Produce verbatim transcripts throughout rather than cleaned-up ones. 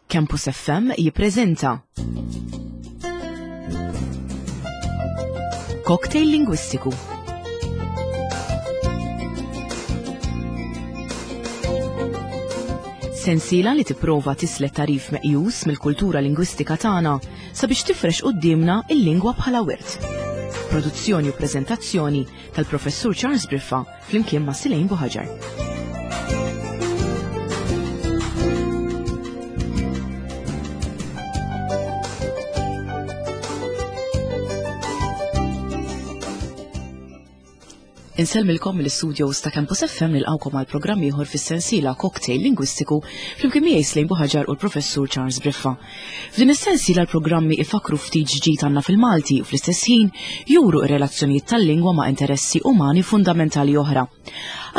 Campus F M jippreżenta Cocktail Lingwistiku. Sensiela li tipprova tislet tarif meqjus mill-kultura lingwistika tagħna sabiex tifrex quddiemna il-lingwa bħala wirt. Produzzjoni u preżentazzjoni tal-Professur Charles Briffa flimkien ma' Silejn Buħaġar. Insellmilkom mill-studios ta' Campus F M, nilqawkom għal programm ieħor fis-sensiela Cocktail Lingwistiku flimkien miegħi Slejn Buħaġar u l-Professur Charles Briffa. F'din is-sensiela l-programmi ifakru ftit ġdid għandna fil-Malti u fl-istess ħin juru r-relazzjonijiet tal-lingwa ma' interessi umani fundamentali oħra.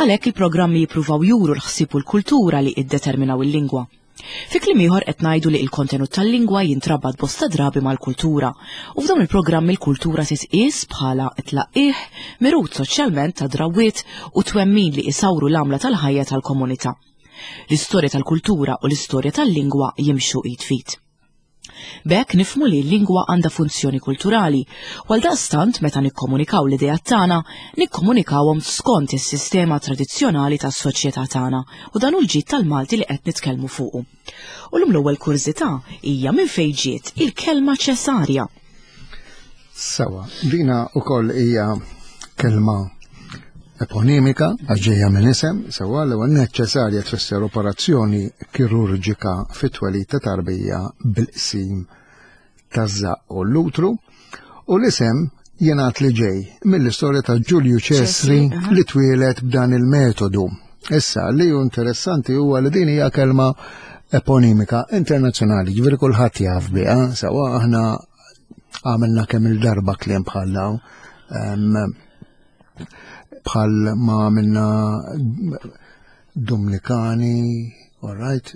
Għalhekk il-programmi jippruvaw juru l-ħsieb u l-kultura li iddeterminaw il-lingwa. Fi kliem ieħor qed ngħidu li l-kontenut tal-lingwa jintrabat bosta drabi mal-kultura u f'dawn il-programmi l-kultura titqies bħala tlaqqih mirut soċjalment ta' drawwiet u twemmin li isawru l-għamla tal-ħajja tal-komunità. L-istorja tal-kultura u l-istorja tal-lingwa jimxu id f'id. B'hekk nifhmu li l-lingwa għandha funzjoni kulturali, u għal daqstant meta nikkomunikaw l-idea tagħna, nikkomunikawhom skont is-sistema tradizzjonali tas-soċjetà tagħna u dan hu l-ġid tal-Malti li qed nitkellmu fuqu. U llum l-ewwel kurżità hija minn fejn ġiet il-kelma ċesarja. Sewa, dina wkoll hija kelma eponimika, għax ġejja minn isem, sewa. L-ewwel ċesarja tfisser operazzjoni kirurġika fit-twelid ta' tarbija bil-qsim taż-żaqq u l-utru, u l-isem jingħad li ġej mill-istorja ta' Ġulju Ċesri li twieled b'dan il-metodu. Issa, li hu interessanti huwa li din hija kelma eponimika internazzjonali, ġifieri kulħadd jaf biha, sewa. Aħna għamilna kemm il-darba kliem bħal dawn, bħal ma għamilna Dominikani, all right.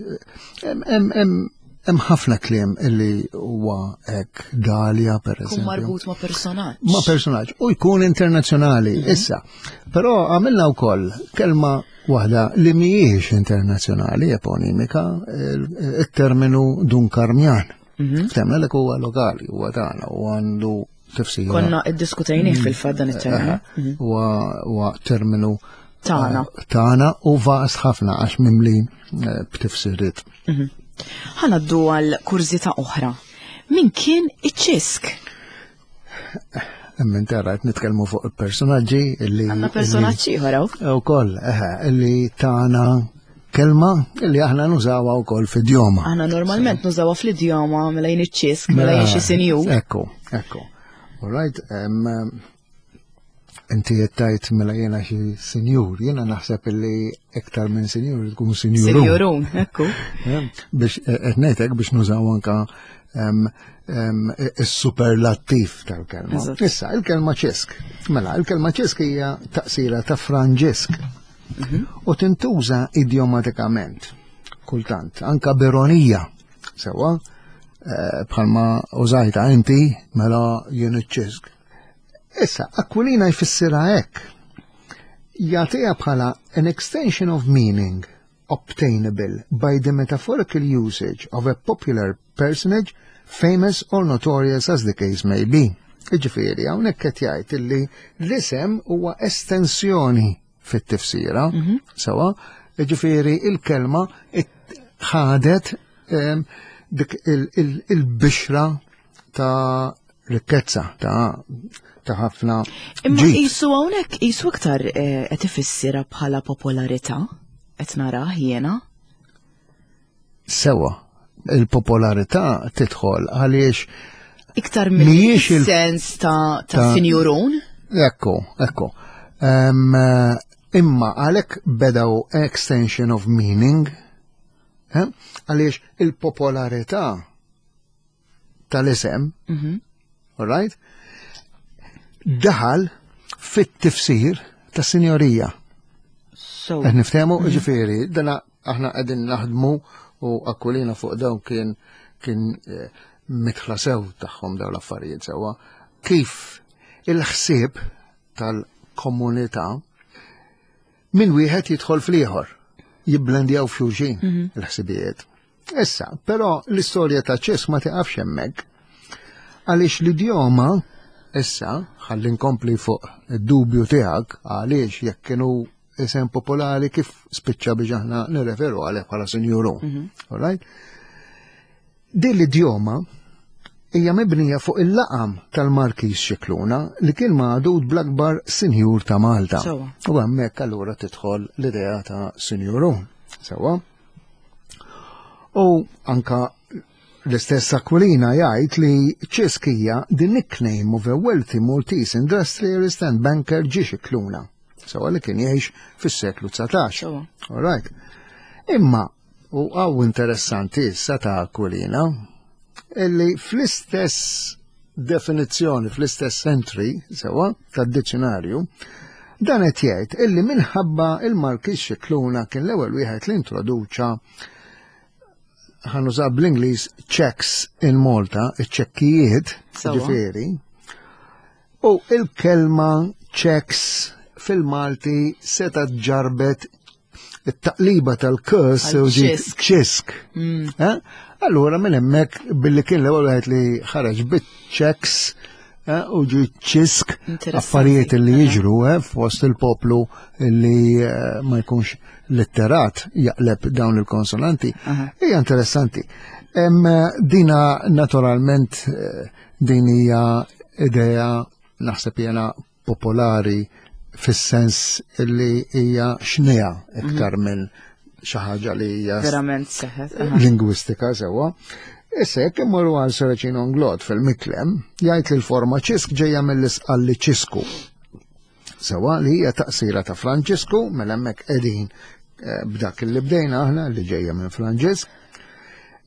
Hemm ħafna kliem illi huwa hekk, Dalja per eżempju. Marbut ma' personaġġ. Ma' personaġġ u jkun internazzjonali mhm. issa. Però għamilna wkoll kelma waħda li mhijiex internazzjonali eponimika, il-terminu Dun Karmjan. Mhm. Temna li huwa lokali, huwa tagħna u għandu tifsira. Konna iddiskutejnih mm. fil-fatt dan it-terminu. Mhm. Huwa terminu tagħna. Tagħna u vast ħafna għax mimli eh, b'tifsiriet. Mhm. Ħa ngħaddu għal kurżità oħra. Min kien iċ-Ċisk? Emmen tara, nitkellmu fuq il-personaġġi illi. Għandna personaġġi ieħor. Ukoll, eħe, illi tana kelma illi aħna nużawha wkoll f'idjoma. Aħna normalment nużawha fl-idjoma mela jien iċ-Ċisk, mela jien xi sinjur. Ekku, ekku. All right, inti jettajt mela jena xi sinjur, jena naħseb illi iktar minn sinjur tkun sinjurun. Sinjurun, ekku. Biex qed ngħidlek biex nużaw anka is-superlattiv tal-kelma. Issa, il-kelma ċisk. Mela, il-kelma ċisk hija taqsira ta' Franġisk. Mhm. U tintuża idiomatikament, kultant, anka b'ironija. Sewa, eh, bħalma użajta inti, mela jien iċ-Ċisk. Issa, Aquilina jfissirha hekk. Jagħtiha bħala an extension of meaning obtainable by the metaphorical usage of a popular personage, famous or notorious as the case may be. Iġifieri, hawnhekk qed jgħid illi l-isem huwa estensjoni fit-tifsira, mm -hmm. sewa, ġifieri il-kelma ħadet dik il-bixra ta' rikkezza, ta' ta' ħafna. Imma jisu hawnhekk jisu iktar eh, qed ifissira bħala popolarità qed narah jiena. Sewa, il-popolarità tidħol għaliex iktar mill-sens ta', ta, sinjurun. Ekku, ekku. Um, imma għalhekk bedaw extension of meaning, eh? Għaliex il-popolarità tal-isem, mm -hmm. all right, daħal fit-tifsir ta' sinjorija. So. Qed niftehmu, mm -hmm. ġifieri, dana aħna qegħdin naħdmu u Aquilina fuq dawn kien kien eh, mitħla sew tagħhom dawn l-affarijiet sewwa. Kif il-ħsieb tal-komunità minn wieħed jidħol fl-ieħor, jibblendjaw f'xulxin mhm. il-ħsibijiet. Issa, però l-istorja ta' ċisk ma tiqafx hemmhekk. Għaliex l-idjoma, issa, ħalli nkompli fuq id-dubju tiegħek, għaliex jekk kienu isem popolari kif spiċċa biex aħna nirreferu għalih bħala sinjurun. Mhm. All right? Din l-idjoma hija mibnija fuq il-laqam tal-Markiż Scicluna li kien magħdud bl-akbar sinjur ta' Malta. Sewwa. U hemmhekk allura tidħol l-idea ta' sinjurun. Sewwa. U anka l-istess Aquilina jgħid li Ċisk hija the nickname of a wealthy Maltese industrialist and banker G. Scicluna. Sewwa li kien jgħix fis-seklu dsatax. Sewwa. All right. Imma, u hawn interessanti issa ta' Aquilina, illi fl-istess definizzjoni, fl-istess entry, sewwa, tad-dizzjonarju, dan qed jgħid illi minħabba il-Markiż Scicluna kien l-ewwel wieħed li introduċa ħa nuża bl-Ingliż checks in Malta, iċ-ċekkijiet, Sewwa. ġifieri, u il-kelma checks fil-Malti seta ġarbet it-taqliba tal-kurs u ġiet Għal-ċisk. ċisk. Mm. Eh? Allura minn hemmhekk billi kien l-ewwel wieħed li ħareġ bit-checks eh, u ġi ċisk Interessanti. affarijiet li Aha. jiġru eh, fost il-poplu li eh, ma jkunx litterat jaqleb dawn il-konsonanti. Aha. Hija interessanti. Em, dina naturalment eh, din hija idea naħseb jena popolari fis-sens li hija xnija iktar minn xi ħaġa li hija Verament seħet. aha. lingwistika sewwa. Issa jekk immorru għal Serracino Inglott fil-Miklem, jgħid li l-forma ċisk ġejja mill-isqalli ċisku. Sewwa li hija taqsira ta' Franġisku, mela hemmhekk qegħdin eh, b'dak li bdejna aħna li ġejja minn Franġisk.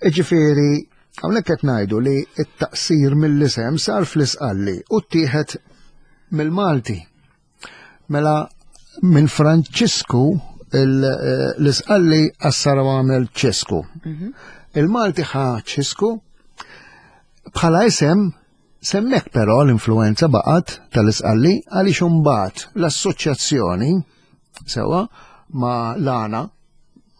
Iġifieri, hawnhekk qed ngħidu li t-taqsir mill-isem sar fl-isqalli u ttieħed mill-Malti. Mela minn Franċisku il- eh, l-isqalli qassar u għamel ċisku. Il-Malti ħa ċisku bħala isem semmek però l-influenza baqgħet tal-isqalli għaliex imbagħad l-assoċjazzjoni sewwa ma l-għana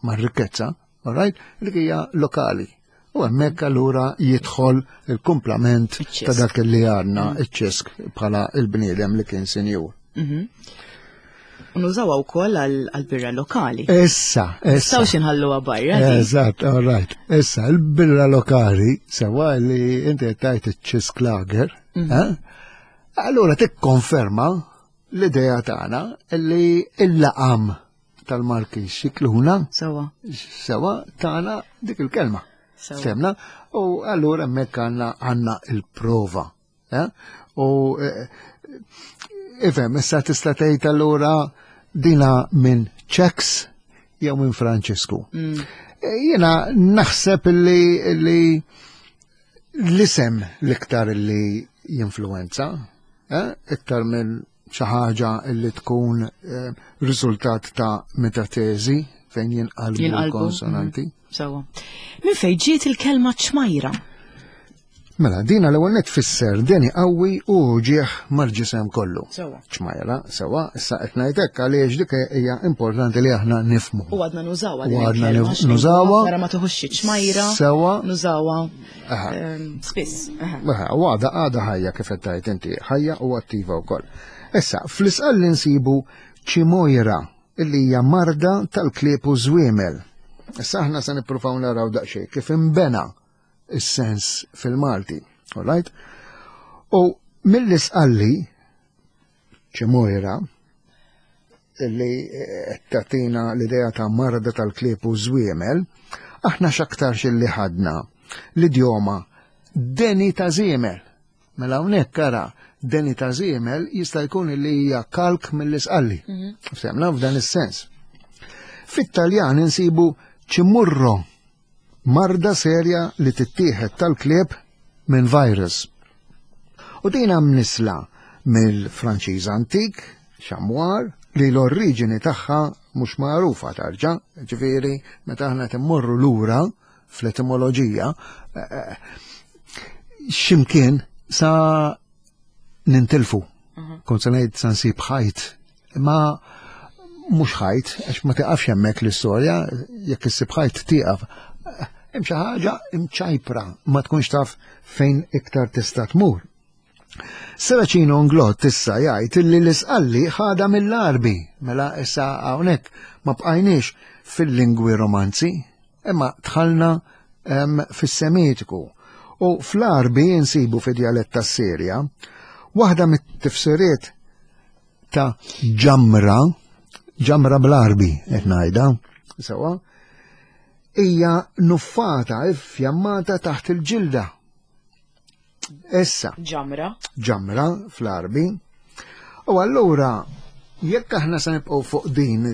ma r-rikkezza, all right, li hija lokali. U hemmhekk allura jidħol il-kumplament Iċ-ċisk. ta' dak li għandna iċ-ċisk bħala il-bniedem li kien sinjur. U nużawha wkoll għal-birra lokali. Issa, issa. Nistgħux inħalluha barra. din. Eżatt, all right. Issa, il-birra lokali, sewwa li inti tajt iċ-ċisk lager, eh? Allura tikkonferma l-idea tagħna li il-laqam tal-Markiż Scicluna Sewwa. sewwa tagħna dik il-kelma. Sewwa. Semna, u allura hemmhekk għandna għandna il-prova. eh? U eh, ifhem, issa tista' tgħid allura dina minn checks jew minn Franċisku. Mm. Eh, Jiena naħseb li li l-isem l-iktar li jinfluenza, eh? iktar minn xi ħaġa li tkun eh, riżultat ta' metateżi fejn jinqalbu Jinqalbu. l-konsonanti. Mm. Sewwa. Minn fejn ġiet il-kelma ċmajra? Mela, dina l-ewwel net tfisser deni qawwi u ġieħ mal-ġisem kollu. Sewwa. Ċmajra, sewwa, issa qed ngħidlek għaliex dik hija importanti li aħna nifhmu. U għadna nużawha U din għadna il-kelma, nif- nużawha. Mara ma tuħux xi ċmajra. Sewwa. Nużawha Aha. ehm, spiss. Aha. Aha, U għada għada ħajja kif qed tgħid inti, ħajja u attiva wkoll. Issa, fl-isqal li nsibu ċimojra illi hija marda tal-klieb u żwiemel. Issa aħna se nippruvaw naraw daqsxejn kif imbena is-sens fil-Malti. All right? U mill-isqalli ċimojra illi eh, tagħtina l-idea ta' marda tal-klieb u żwiemel, aħna x'aktarx illi ħadna l-idjoma deni ta' żiemel. Mela hawnhekk ara deni ta' żiemel jista' jkun li hija kalk mill-isqalli. Semna f'dan is-sens. Fit-Taljan insibu ċimurro, marda serja li tittieħed tal-klieb minn virus. U din mnisla mill-Franċiż antik, xamwar, li l-oriġini tagħha mhux magħrufa tarġa, ġifieri meta aħna timmorru lura fl-etimoloġija, eh, eh, ximkien sa nintilfu. Kont se ngħid sa nsib ħajt, ma mhux ħajt, għax ma tiqafx hemmhekk l-istorja, jekk issib ħajt tieqaf. Hemm xi ħaġa imċajpra ma tkunx taf fejn iktar tista' tmur. Serracino Inglott issa jgħid illi l-Isqalli ħada mill-Għarbi, mela issa hawnhekk ma bqajniex fil-lingwi romanzi, imma dħalna fis-Semitiku. U fl-Għarbi insibu fi djalett tas-Sirja waħda mit-tifsiriet ta' ġamra, ġamra bl-Għarbi qed ngħidha, sewwa, hija nuffata iffjammata taħt il-ġilda. Issa. Ġamra. Ġamra fl-Għarbi. U allura jekk aħna se nibqgħu fuq din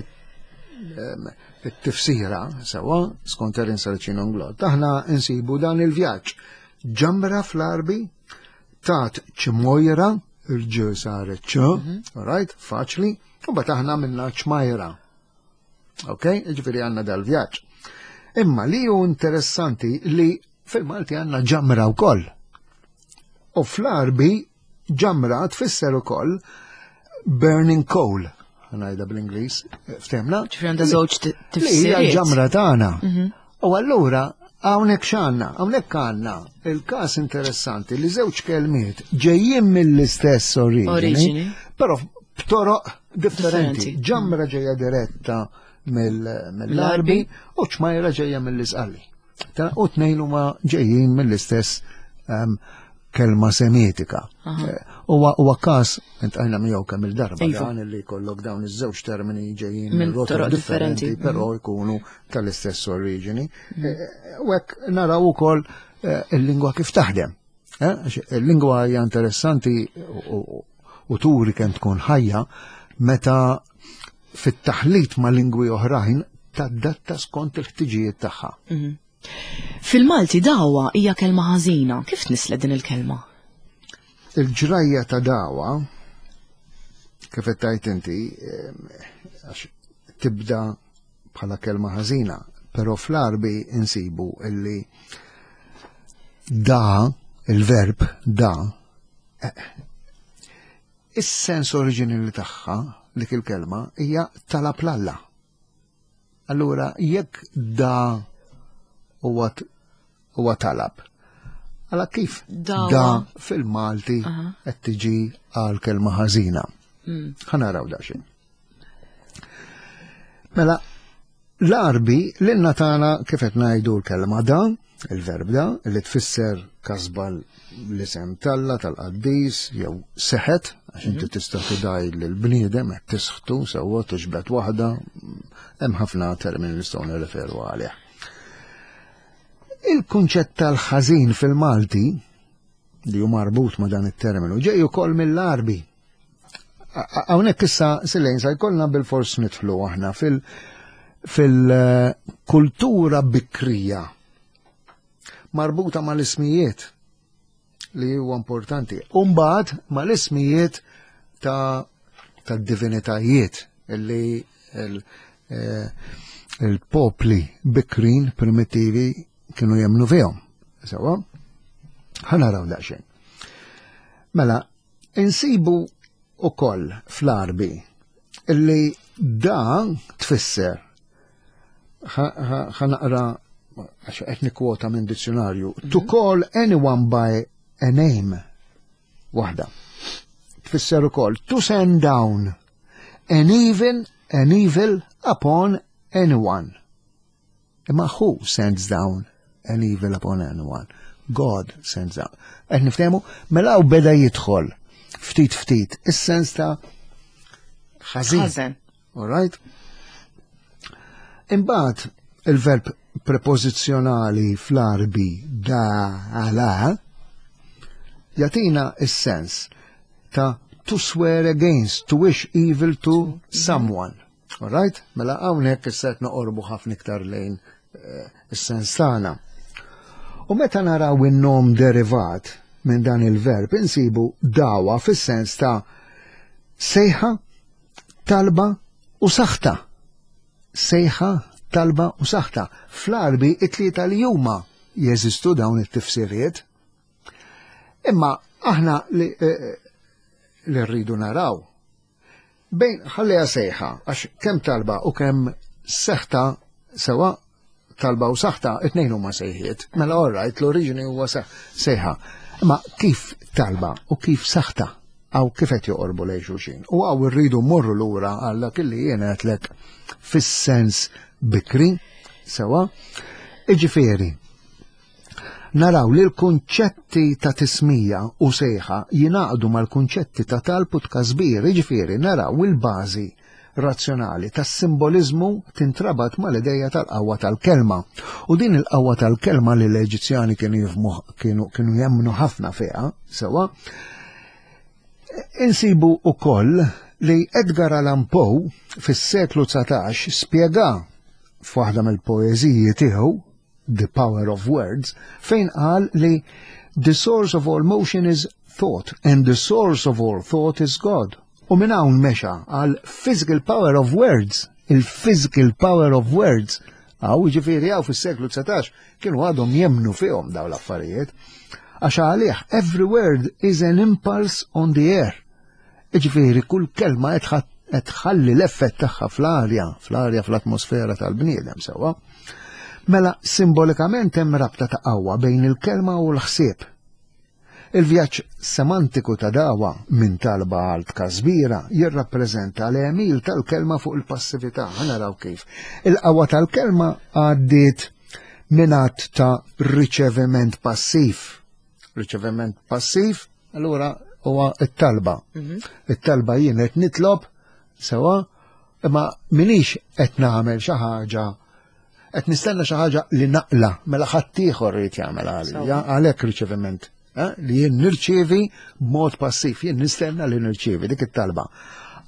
it-tifsira sewwa skont Erin Serracino Inglott, aħna nsibu dan il-vjaġġ. Ġamra fl-Għarbi tat ċmojra, il-ġ saret ċ, right, faċli, u mbagħad aħna minna ċmajra. Ok, ġifieri għandna dal-vjaġġ. Imma li hu interessanti li fil-Malti għandna ġamra wkoll. U fl-Għarbi ġamra tfisser ukoll burning coal, ngħidha bl-Ingliż, ftehmna? Ġifieri għandha żewġ Li hija tifsiriet. ġamra tagħna. U allura hawnhekk x'għandna? Hawnhekk għandna il-każ interessanti li żewġ kelmiet ġejjin mill-istess oriġini, Oriġini. però b'toroq differenti. Differenti. Ġamra ġejja diretta mill-Għarbi u ċmajra ġejja mill-Isqalli. U tnejn huma ġejjin mill-istess um, kelma semitika. Huwa huwa każ iltqajna miegħu kemm il-darba Iva. dan li jkollok dawn iż-żewġ termini ġejjin Minn minn rotot toroq differenti, differenti. però jkunu tal-istess oriġini. Eh, U hekk naraw ukoll eh, il-lingwa kif taħdem. Eh, għax il-lingwa hija interessanti u- u- u turi kemm tkun ħajja meta fit-taħlit ma' lingwi oħrajn tadatta skont il-ħtiġijiet tagħha. Fil-Malti dawa hija kelma ħażina. Kif tnisslet din il-kelma? Il-ġrajja ta' dawa, kif qed tgħid inti, em, għax tibda bħala kelma ħażina, però fl-Għarbi insibu illi da, il-verb da, eh, is-sens oriġinali tagħha dik il-kelma hija talab 'l Alla. Allura jekk da huwa huwa talab. Alla kif Dawa. da fil-Malti qed tiġi għal kelma ħażina. Mm. Ħa naraw daqsxejn. Mela, l-Għarbi lilna tagħna kif qed ngħidu l-kelma da, il-verb da, li tfisser kasba l-isem t'Alla tal-qaddis jew seħet, għax inti tista' tidgħi lill-bniedem qed tisħtu sewwa tiġbed waħda, hemm ħafna termini li nistgħu nirreferu għalih. Il-kunċett tal-ħażin fil-Malti li hu marbut ma' dan it-terminu ġej ukoll mill-Għarbi. Hawnhekk issa Silejn sa jkollna bil-fors nidħlu aħna fil- fil-kultura bikrija marbuta mal-ismijiet li huwa importanti. Umbagħad mal-ismijiet ta' ta' divinitajiet li il- eh, il-popli bikrin primitivi kienu jemmnu fihom. Sewwa? Ħa naraw daqsxejn. Mela, insibu ukoll fl-Għarbi illi da tfisser ħa naqra għax qed nikkwota minn dizzjonarju to call anyone by a name waħda. Tfisser ukoll to send down an even an evil upon anyone. Imma who sends down an evil upon anyone? God sends down. Qed niftehmu, mela u beda jidħol ftit ftit is-sens ta' ħażin. Ħażen. All right? Imbagħad il-verb prepożizzjonali fl-Għarbi da ala jagħtina is-sens ta' to swear against, to wish evil to someone. All right? Mela hawnhekk issa qed noqorbu ħafna iktar lejn eh, is-sens tagħna. U meta naraw in-nom derivat minn dan il-verb insibu dawa fis-sens ta' sejħa, talba u saħta. Sejħa, talba u saħta. Fl-Għarbi it-tlieta li huma jeżistu dawn it-tifsiriet. Imma aħna li, eh, li rridu naraw. Bejn ħalliha sejħa, għax kemm talba u kemm seħta sewa Talba u saħta, it-tnejn huma sejħiet. Mela all right, l-oriġini huwa sejħa. Ma kif talba u kif saħta għaw kif qed joqorbu lejn xulxin. U għaw irridu mmorru lura għal dak li jien għedtlek fis-sens bikri, sewa. Iġifieri, naraw li l-kunċetti ta' tismija u sejħa jingħaqdu mal-kunċetti ta' talb u tkasbir, iġifieri naraw il-bażi razzjonali tas-simbolizmu tintrabat mal-ideja tal-qawwa tal-kelma. U din il-qawwa tal-kelma li l-Eġizzjani kienu jifhmu, kienu, kienu jemmnu ħafna fiha, sewa, insibu ukoll li Edgar Allan Poe fis-seklu dsatax spjega f'waħda mill-poeżiji tiegħu, The Power of Words, fejn qal li the source of all motion is thought and the source of all thought is God. U minn hawn mexa għal physical power of words, il-physical power of words. Għaw, ġifieri għaw fis-seklu dsatax kienu għadhom jemnu fihom daw l-affarijiet. Għax għalih, every word is an impulse on the air. Ġifieri, kull kelma qed tħalli l-effett tagħha fl-arja, fl-arja fl-atmosfera tal-bniedem sewwa. Mela, simbolikament hemm rabta ta' qawwa bejn il-kelma u l-ħsieb. Il-vjaġġ semantiku ta' dawa minn talba għal tkasbira jirrappreżenta l-għemil tal-kelma fuq il-passività. Ħa naraw kif. Il-qawwa tal-kelma għaddiet minn att ta' riċeviment passiv. Riċeviment passiv, allura huwa it-talba. It-talba jien qed nitlob sewa, imma minix qed nagħmel xi ħaġa, qed nistenna xi ħaġa li naqla, mela ħaddieħor irid jagħmel għalija, għalhekk riċeviment. Eh, li jien nirċievi b'mod passiv, jien nistenna li nirċievi dik it-talba.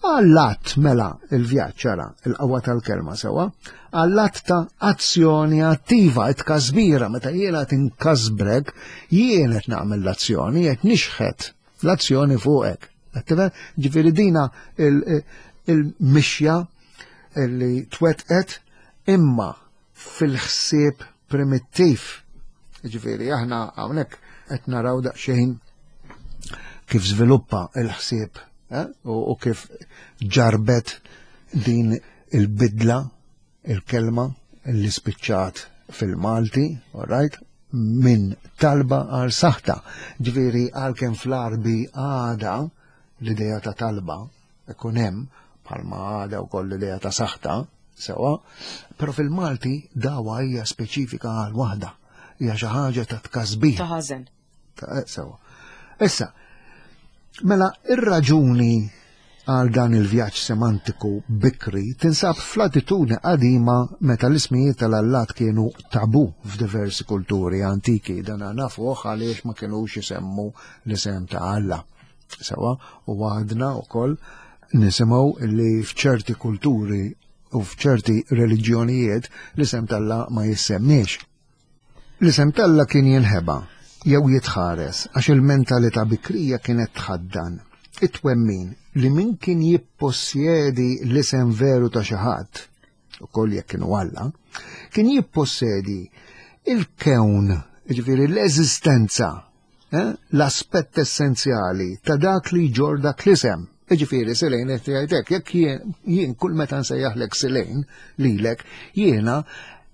Għall-att mela il-vjaġġ ara il-qawwa tal-kelma sewa, għall-att ta' azzjoni attiva, it-kasbira, meta jiena tinkasbrek, jien qed nagħmel l-azzjoni, qed nixħet l-azzjoni fuqek. Qed Ġifieri dina il-mixja li twetqet imma fil-ħsieb primittiv. Ġifieri aħna hawnhekk qed naraw daqsxejn kif żviluppa il-ħsieb eh? u, u kif ġarbet din il-bidla, il-kelma li spiċċat fil-Malti, all right, minn talba għal saħta. Ġifieri għalkemm fl-Arbi għada l-ideja ta' talba ikun hemm bħalma għada wkoll l-ideja ta' saħta, sewa, però fil-Malti dawa hija speċifika għal waħda, hija xi ħaġa ta' tkasbir. Ta' ħażen. Ta' eh, sewa. Issa, mela ir-raġuni għal dan il-vjaġġ semantiku bikri tinsab fl-attitudni qadima meta l-ismijiet tal-allat kienu tabu f'diversi kulturi antiki. Dan nafuh għaliex ma kienux isemmu l-isem ta' Alla. Sewa, u għadna wkoll nisimgħu li f'ċerti kulturi u f'ċerti reliġjonijiet l-isem t'Alla ma jissemmiex. L-isem t'Alla kien jinħeba jew jitħares għax il-mentalità bikrija kienet tħaddan it-twemmin li min kien jippossjedi l-isem veru ta' xi ħadd, ukoll jekk kienu Alla, kien jippossjedi il-kewn, jiġifieri l-eżistenza, eh, l-aspett essenzjali ta' dak li jġorr dak l-isem. Jiġifieri Silejn qed jgħidlek, jekk jien, jien kull meta nsejjaħlek Silejn lilek, jiena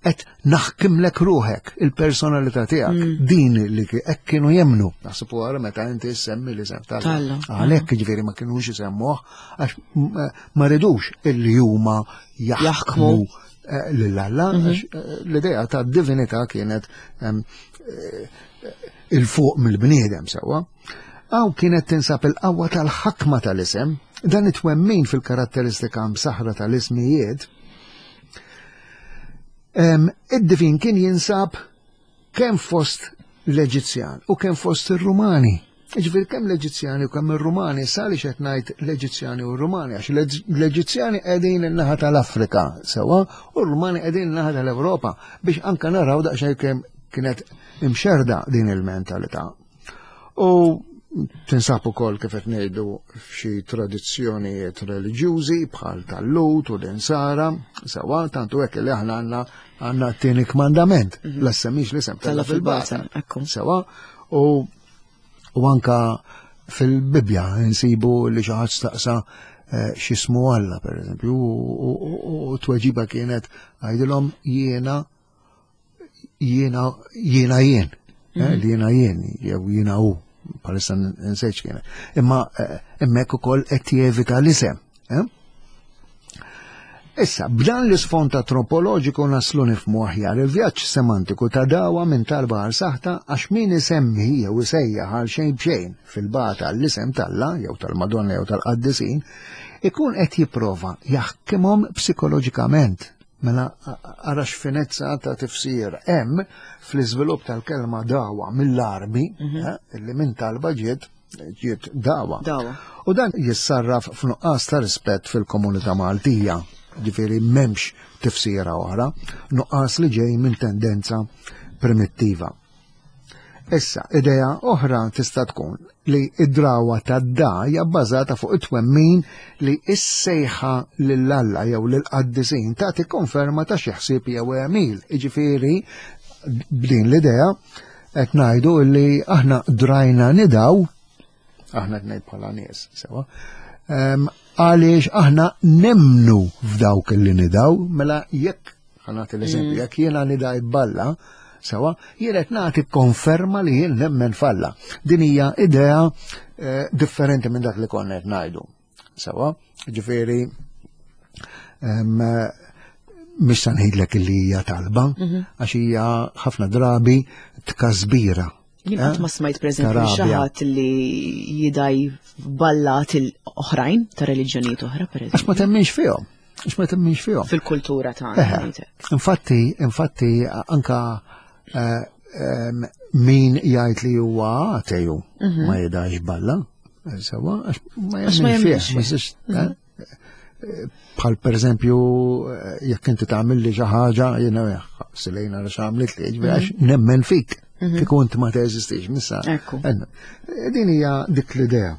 qed naħkimlek ruħek, il-personalità tiegħek. Mm. Din li ki- hekk kienu jemnu. Naħseb wara meta inti semmi l-isem t'Alla. T'Alla. Għalhekk jiġifieri ma kinux isemmuh għax m- ma ridux illi huma jaħkmu Jaħkmu. eh, lil Alla, għax eh, l-idea ta' divinità kienet em, eh, il-fuq mill-bniedem sewwa. Għaw kienet tinsab il-qawwa tal-ħakma tal-isem, dan it-twemmin fil-karatteristika msaħra tal-ismijiet. Em, Id-divin kien jinsab kemm fost l-Eġizzjan u kemm fost ir-Rumani. Ġifieri kemm l-Eġizzjani u kemm ir-Rumani, sali qed ngħid l-Eġizzjani u r-Rumani, għax l-Eġizzjani qegħdin in-naħa tal-Afrika sewwa u r-Rumani qegħdin in-naħa tal-Ewropa biex anka naraw daqsxejn kemm kienet imxerda din il-mentalità. U tinsab ukoll kif qed ngħidu f'xi tradizzjonijiet reliġjużi bħal tal-Lut u l-Insara, sewwa tantu hekk li aħna għandna għandna t-tieni kmandament, la semmix l-isem Talla talla fil-bata. fil-bata, ekku. Sewwa, u u anka fil-Bibja nsibu li xi ħadd staqsa eh, x'ismu Alla, per eżempju, u- u u- u tweġiba kienet għajdilhom jiena jiena jiena jien, eh, li jiena jien, jew jiena hu, bħalissa nsejt kien. Imma eh, hemmhekk ukoll qed jevita l-isem. eh? Issa, b'dan l-isfond antropoloġiku naslu nifhmu aħjar il-vjaġġ semantiku ta' dawa minn talba għal saħta, għax min isemmi jew isejjaħ għal xejn b'xejn fil-bata l-isem t'Alla jew tal-Madonna jew tal-Qaddisin ikun qed jipprova jaħkimhom psikoloġikament. Mela ara x'finezza ta' tifsir hemm fl-iżvilupp tal-kelma dawa mill-Arbi, eh, illi minn talba ġiet ġiet dawa. Dawa. U dan jissarraf f'nuqqas ta' rispett fil-komunità Maltija, ġifieri m'hemmx tifsira oħra, nuqqas li ġej minn tendenza primittiva. Issa, idea oħra tista' tkun li id-drawa tad-da hija bbażata fuq it-twemmin li s-sejħa lil Alla jew lil-qaddisin tagħti konferma ta' xi ħsieb jew għemil. Jiġifieri b'din l-idea qed ngħidu li aħna drajna nidaw, aħna qed ngħid bħala nies, sewa, em, għaliex aħna nemnu f'dawk li nidaw, mela jekk ħa nagħti l-eżempju, jekk jiena nidaj b'Alla, sewa, jien qed nagħti konferma li jien nemmen f'Alla. Din hija idea eh, differenti minn dak li konna qed ngħidu. Sewa, ġifieri em, mhix se ngħidlek li hija talba, għax hija ħafna drabi tkasbira. Jien qatt ma smajt, pereżempju, Tarabja. xi ħadd li jidaj b'allat oħrajn ta' reliġjonijiet oħra, Għax pereżempju. ma temminx fihom. Għax ma temminx fihom. Fil-kultura tagħna. Eħe. ngħidlek. Infatti, infatti, anka eh, em, min jgħid li huwa ateju ma jidax b'Alla, sewa, għax ma Għax ma jemminx jemminx fih, ma fih. jistax, eh, bħal per eżempju, eh, jekk inti tagħmel li xi ħaġa, jiena silejna għax għamlit li, ġifieri għax nemmen fik, kieku inti ma teżistix, missa. Ekku. Eh, Din hija dik l-idea.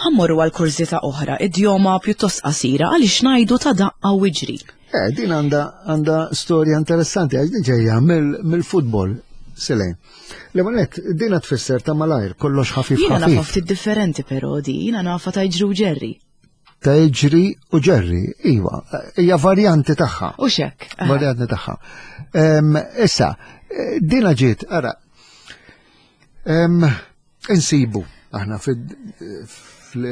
Ħa mmorru għal kurżità oħra, idjoma pjuttost qasira, għaliex ngħidu ta' daqqa u iġri? Eh, din għanda għanda storja interessanti, għax din ġejja mill-futbol, Silejn. L-ewwel dina tfisser ta' malajr, kollox ħafif Jiena nafa ħafif. ftit differenti però di, jiena nafa ta' iġri u ġerri. Ta' iġri u ġerri, iva, hija varjanti tagħha. U xek. Aha. Varjanti tagħha. Em, Issa, eh, dina ġiet, ara, em, insibu aħna fil-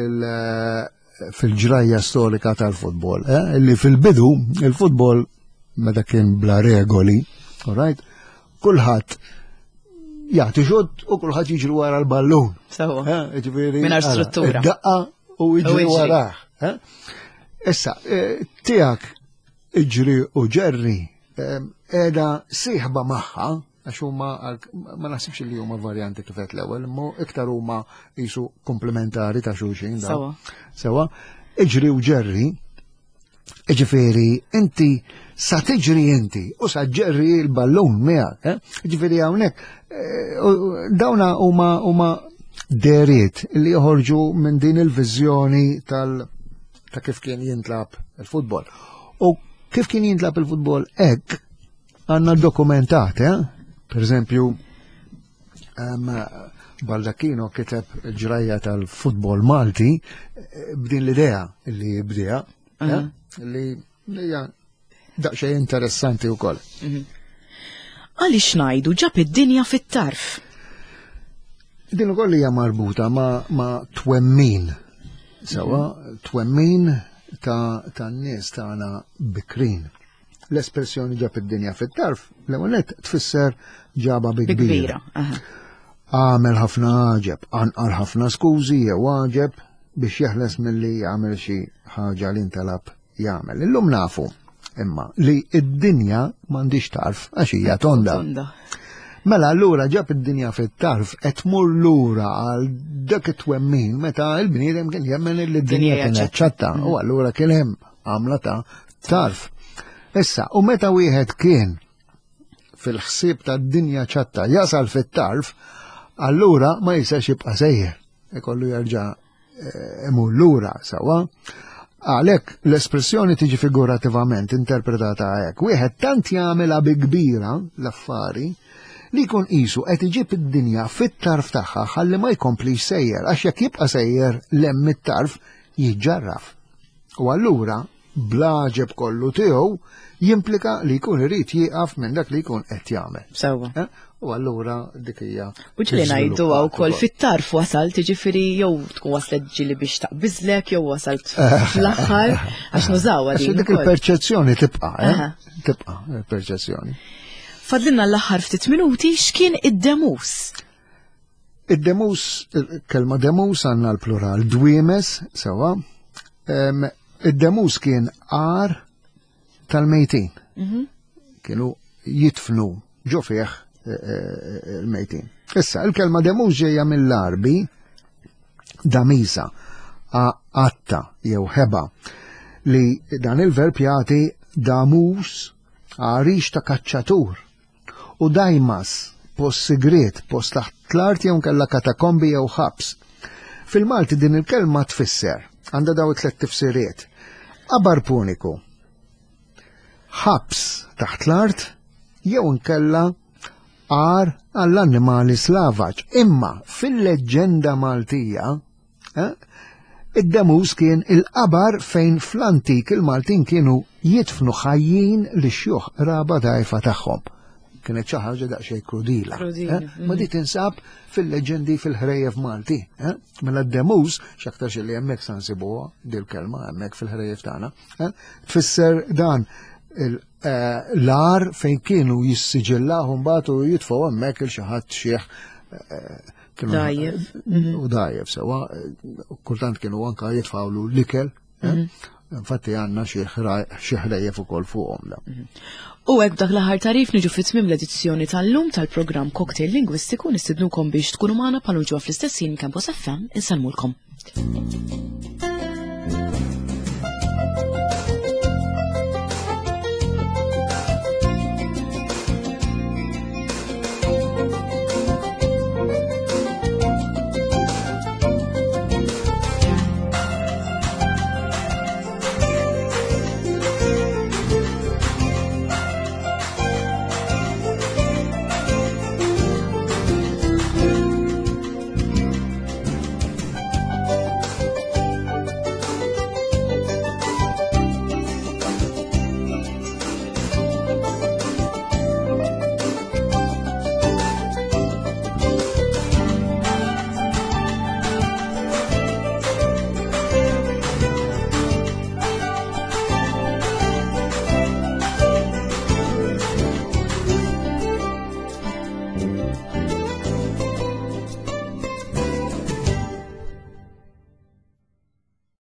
fil-ġrajja storika tal-futbol, eh, li fil-bidu il-futbol meta kien bla regoli, all right, kulħadd jagħti xutt u kulħadd jiġri wara l-ballun. Sewa. Eh, ġifieri, Mingħajr ara, struttura. id-daqqa u jiġri U jiġri. warah. eh. Issa, eh, tiegħek iġri u ġerri qiegħda sieħba magħha, għax huma għal- ma naħsibx li huma varjanti kif qed l-ewwel, imma iktar huma jisu komplementari ta' xulxin. dawn. Sewa. Sewa, iġri u ġerri, ġifieri, inti sa tiġri inti u sa ġerri l-ballun miegħek, eh? Ġifieri hawnhekk eh, u- dawna huma huma deriet li joħorġu minn din il-viżjoni tal ta' kif kien jintlab il-futbol. U kif kien jintlab il-futbol hekk għandna dokumentat, eh? Per eżempju, um, Baldacchino kiteb il-ġrajja tal-futbol Malti eh, b'din l-idea li bdija, eh, li hija daqsxejn interessanti wkoll. Għaliex ngħidu ġab id-dinja fit-tarf? Din ukoll hija marbuta ma', ma twemmin. Sewa, twemmin ta' tan-nies tagħna bikrin. L-espressjoni ġab id-dinja fit-tarf, l-ewwel nett tfisser ġaba bi Bi kbira. kbira. Aha. Għamel ħafna għaġeb, anqal ħafna skużi jew għaġeb biex jeħles milli jagħmel xi ħaġa li ntalab jagħmel. Illum nafu imma li id-dinja m'għandix tarf għax hija tonda. Tonda. Mela allura ġab id-dinja fit-tarf qed tmur lura għal dak it-twemmin meta l-bniedem kien jemmen li d-dinja Dinja hija kienet ċatta u allura kien hemm għamla ta' tarf. Issa, u meta wieħed kien fil-ħsieb tad-dinja ċatta jasal fit-tarf, allura ma jistax jibqa' sejjer, ikollu jerġa' eh, imur lura sewa. Għalhekk l-espressjoni tiġi figurativament interpretata hekk. Wieħed tant jagħmilha bi kbira l-affari li jkun qisu qed iġib id-dinja fit-tarf tagħha ħalli ma jkomplix sejjer, għax jekk jibqa' sejjer 'l hemm it-tarf jiġġarraf. U allura blaġeb kollu tiegħu jimplika li jkun irid jieqaf minn dak li jkun qed jagħmel. Sewwa. Eh? U allura dik hija. U ġieli ngħidu wkoll fit-tarf wasalt, jiġifieri jew tkun waslet ġieli biex taqbiżlek jew wasalt fl-aħħar għax nużawha Għax din dik ukoll. il-perċezzjoni tibqa', eh? Aha. Tibqa' il-perċezzjoni. Fadlilna l-aħħar ftit minuti, x'kien id-demus? Id-demus, il-kelma demus għandna l-plural dwiemes, sewwa. Em, Id-demus kien għar tal-mejtin. Kienu jitfnu ġo fih eh, eh, il-mejtin. Issa, il-kelma demus ġejja mill-Arbi damisa, għatta jew ħeba, li dan il-verb jagħti damus, għarix ta' kaċċatur, u dajmas, post sigriet, post taħt l-art jew kella katakombi jew ħabs. Fil-Malti din il-kelma tfisser, għandha daw it-tlet tifsiriet. Qabar puniku, ħabs taħt l-art, jew nkella għar għall-annimali slavaġ. Imma fil-leġġenda Maltija, eh, id-demus kien il-qabar fejn fl-antik il-Maltin kienu jitfnu ħajjin li xjuħ raba dajfa tagħhom. Kienet xi ħaġa daqsxejn krudila. Krudila, eh? Ma di tinsab fil-leġendi fil-ħrejjef Malti. eh? Mela d-demus, x'aktarx li hemmhekk sa nsibuha dil-kelma hemmhekk fil-ħrejjef tagħna, eh? Tfisser dan il- eh, l-għar fejn kienu jissiġillaw mbagħad u jitfgħu hemmhekk il xi ħadd xiħ eh, kienu- Dajjef. U dajjef sewwa, kultant kienu anka jitfgħulu l-ikel. eh? Infatti għandna xi ħra- xi ħrejjef ukoll fuqhom da. U hekk dak l-aħħar tarif niġu fi tmiem l-edizzjoni tal-lum tal-programm Cocktail Lingwistiku. Nistidnukom biex tkunu magħna bħal ġewwa fl-istess ħin Campus F M. Insellmulkom.